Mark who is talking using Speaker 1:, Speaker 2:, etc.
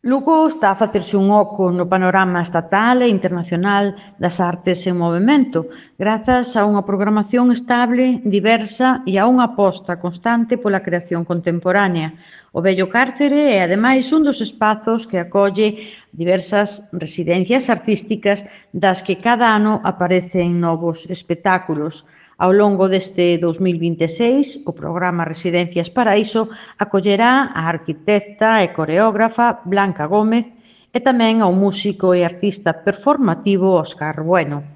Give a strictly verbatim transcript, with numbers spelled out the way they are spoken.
Speaker 1: Lugo está a facerse un oco no panorama estatal e internacional das artes en movemento, grazas a unha programación estable, diversa e a unha aposta constante pola creación contemporánea. O vello cárcere é, ademais, un dos espazos que acolle diversas residencias artísticas das que cada ano aparecen novos espectáculos. Ao longo deste dous mil vinte e seis, o programa Residencias Paraíso acollerá a arquitecta e coreógrafa Blanca Gómez e tamén ao músico e artista performativo Óscar Bueno.